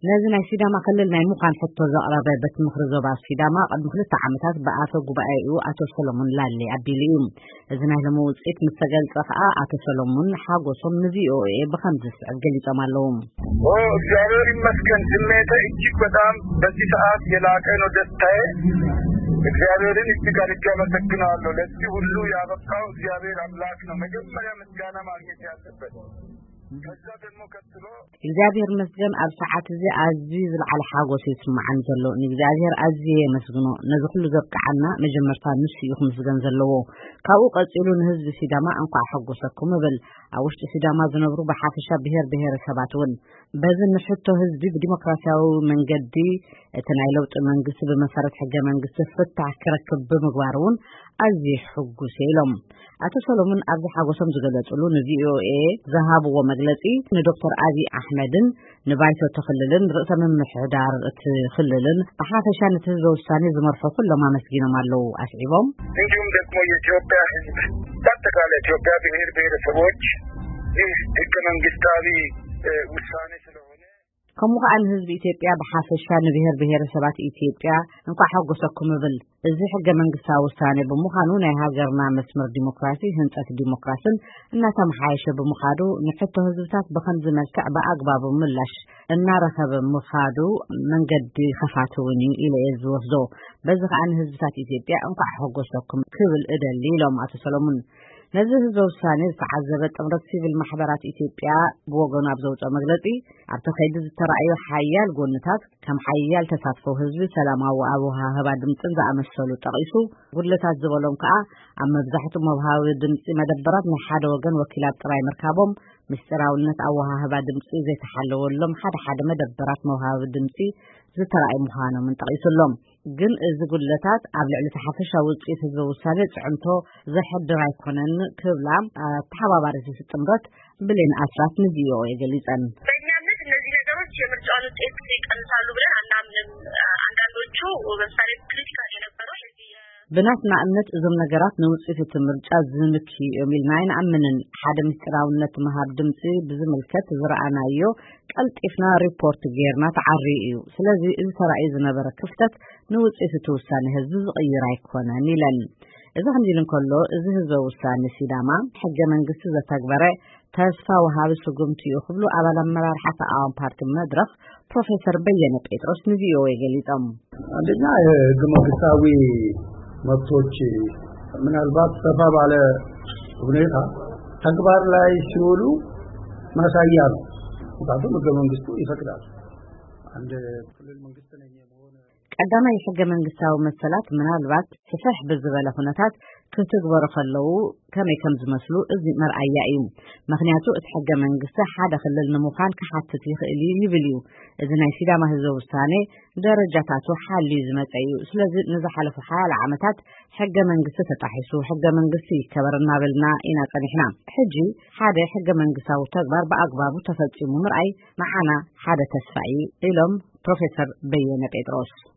ነዚ ናይ ሲዳማ ክልል ናይ ምዃን ሕቶ ዘቕረበ ቤት ምኽሪ ዞባ ሲዳማ ቅድሚ ክልተ ዓመታት ብኣፈ ጉባኤኡ ኣቶ ሰሎሞን ላሌ ኣቢሉ እዩ። እዚ ናይ ሎሚ ውፅኢት ምስ ተገልጸ ከኣ ኣቶ ሰሎሞን ሓጎሶም ን ቪ ኦ ኤ ብኸምዚ ዝስዕብ ገሊጾም ኣለዉ። ኦ፣ እግዚአብሔር ይመስገን። ስሜቴ እጅግ በጣም በዚህ ሰዓት የላቀ ነው ደስታዬ። እግዚአብሔርን እጅግ አድርጌ አመሰግናለሁ። ለዚህ ሁሉ ያበቃው እግዚአብሔር አምላክ ነው። መጀመሪያ ምስጋና ማግኘት ያለበት። ከዛ ደግሞ ቀጥሎ እግዚኣብሔር ይመስገን፣ ኣብ ሰዓት እዚ ኣዝዩ ዝለዓለ ሓጎስ እዩ ዝስምዓኒ ዘሎ። ንእግዚኣብሔር ኣዝየ የመስግኖ። ነዚ ኩሉ ዘብቅዓና መጀመርታ ንሱ እዩ ክምስገን ዘለዎ። ካብኡ ቀጺሉ ንህዝቢ ሲዳማ እንኳዕ ሓጎሰኩም እብል። ኣብ ውሽጢ ሲዳማ ዝነብሩ ብሓፈሻ ብሄር ብሄረሰባት እውን በዚ ንሕቶ ህዝቢ ብዲሞክራሲያዊ መንገዲ እቲ ናይ ለውጢ መንግስቲ ብመሰረት ሕገ መንግስቲ ፍታሕ ክረክብ ብምግባር እውን ኣዝዩ ሕጉስ እየ ኢሎም። ኣቶ ሰሎሙን ኣብዚ ሓጎሶም ዝገለጽሉ ን ቪ ኦ ኤ ዝሃብዎ መግለጺ ንዶክተር ኣብይ ኣሕመድን ንባይቶ ክልልን ርእሰ ምምሕዳር እቲ ክልልን ብሓፈሻ ነቲ ህዝበ ውሳኔ ዝመርሑ ኩሎም ኣመስጊኖም ኣለዉ። ኣስዒቦም እንዲሁም ደግሞ የኢትዮጵያ ህዝብ፣ በአጠቃላይ ኢትዮጵያ ብሔር ብሔረሰቦች ይህ ህገ መንግስታዊ ውሳኔ ስለሆነ ከምኡ ከኣ ንህዝቢ ኢትዮጵያ ብሓፈሻ ንብሔር ብሔረሰባት ኢትዮጵያ እንኳዕ ሓጎሰኩም እብል። እዚ ሕገ መንግስታዊ ውሳኔ ብምዃኑ ናይ ሃገርና መስመር ዲሞክራሲ፣ ህንጸት ዲሞክራስን እናተመሓየሸ ብምኻዱ ንሕቶ ህዝብታት ብኸምዚ መልክዕ ብኣግባቡ ምላሽ እናረኸበ ምኻዱ መንገዲ ከፋቲ እውን እዩ ኢለ እየ ዝወስዶ። በዚ ከኣ ንህዝብታት ኢትዮጵያ እንኳዕ ሓጎሰኩም ክብል እደሊ ኢሎም ኣቶ ሰሎሙን። ነዚ ህዝበ ውሳኔ ዝተዓዘበ ጥምረት ሲቪል ማሕበራት ኢትዮጵያ ብወገኑ ኣብ ዘውፅኦ መግለፂ ኣብቲ ከይዲ ዝተረኣዩ ሓያል ጎንታት ከም ሓያል ተሳትፎ ህዝቢ፣ ሰላማዊ ኣወሃህባ ድምፅን ዝኣመሰሉ ጠቒሱ፣ ጉድለታት ዝበሎም ከኣ ኣብ መብዛሕትኡ መውሃቢ ድምፂ መደበራት ናይ ሓደ ወገን ወኪላት ጥራይ ምርካቦም፣ ምስጢራውነት ኣወሃህባ ድምፂ ዘይተሓለወሎም ሓደ ሓደ መደበራት መውሃቢ ድምፂ ዝተረኣዩ ምዃኖምን ጠቒሱ ኣሎ። ግን እዚ ጉድለታት ኣብ ልዕሊ እቲ ሓፈሻዊ ውፅኢት ህዝበ ውሳኔ ፅዕንቶ ዘሕድር ኣይኮነን ክብላ ኣተሓባባሪት እቲ ጥምረት ብሌን ኣስራት ን ቪ ኦ ኤ ገሊፀን። በእኛ እምነት እነዚህ ነገሮች የምርጫውን ውጤት ይቀንሳሉ ብለን አናምንም። አንዳንዶቹ ለምሳሌ ክሪቲካል የነበሩ የዚህ የ- ብናትና እምነት እዞም ነገራት ንውፅኢት እቲ ምርጫ ዝንክዩ እዮም ኢልና ኣይንኣምንን። ሓደ ምስጢራውነት ምሃብ ድምፂ ብዝምልከት ዝረኣናዮ ቀልጢፍና ሪፖርት ጌርና ተዓርዩ እዩ። ስለዚ እዚ ተራእዩ ዝነበረ ክፍተት ንውፅኢት እቲ ውሳነ ህዝቢ ዝቕይር ኣይኮነን ኢለን። እዚ ከምዚ ኢሉ እንከሎ፣ እዚ ህዝበ ውሳነ ሲዳማ ሕገ መንግስቲ ዘተግበረ ተስፋ ወሃቢ ስጉምቲ እዩ ክብሉ ኣባል ኣመራርሓ ተቃዋሚ ፓርቲ መድረኽ ፕሮፌሰር በየነ ጴጥሮስ ን ቪ ኦ ኤ ገሊጾም። አንደኛ የህገ መንግስታዊ መብቶች ምናልባት ሰፋ ባለ ሁኔታ ተግባር ላይ ሲውሉ ማሳያ ነው። ምክንያቱም ህገ መንግስቱ ይፈቅዳል። አንድ ክልል መንግስት ነኝ የመሆን ቀዳማይ ሕገ መንግስታዊ መሰላት ምናልባት ስፍሕ ብዝበለ ኩነታት ክትግበሩ ከለዉ ከመይ ከም ዝመስሉ እዚ መርኣያ እዩ። ምክንያቱ እቲ ሕገ መንግስቲ ሓደ ክልል ንምዃን ክሓትት ይኽእል እዩ ይብል እዩ። እዚ ናይ ሲዳማ ህዝበ ውሳኔ ደረጃታቱ ሓልዩ ዝመጸ እዩ። ስለዚ ንዝሓለፉ ሓያለ ዓመታት ሕገ መንግስቲ ተጣሒሱ፣ ሕገ መንግስቲ ይከበር እናበልና ኢና ጸኒሕና። ሕጂ ሓደ ሕገ መንግስታዊ ተግባር ብኣግባቡ ተፈጺሙ ምርኣይ ንዓና ሓደ ተስፋ እዩ ኢሎም ፕሮፌሰር በየነ ጴጥሮስ።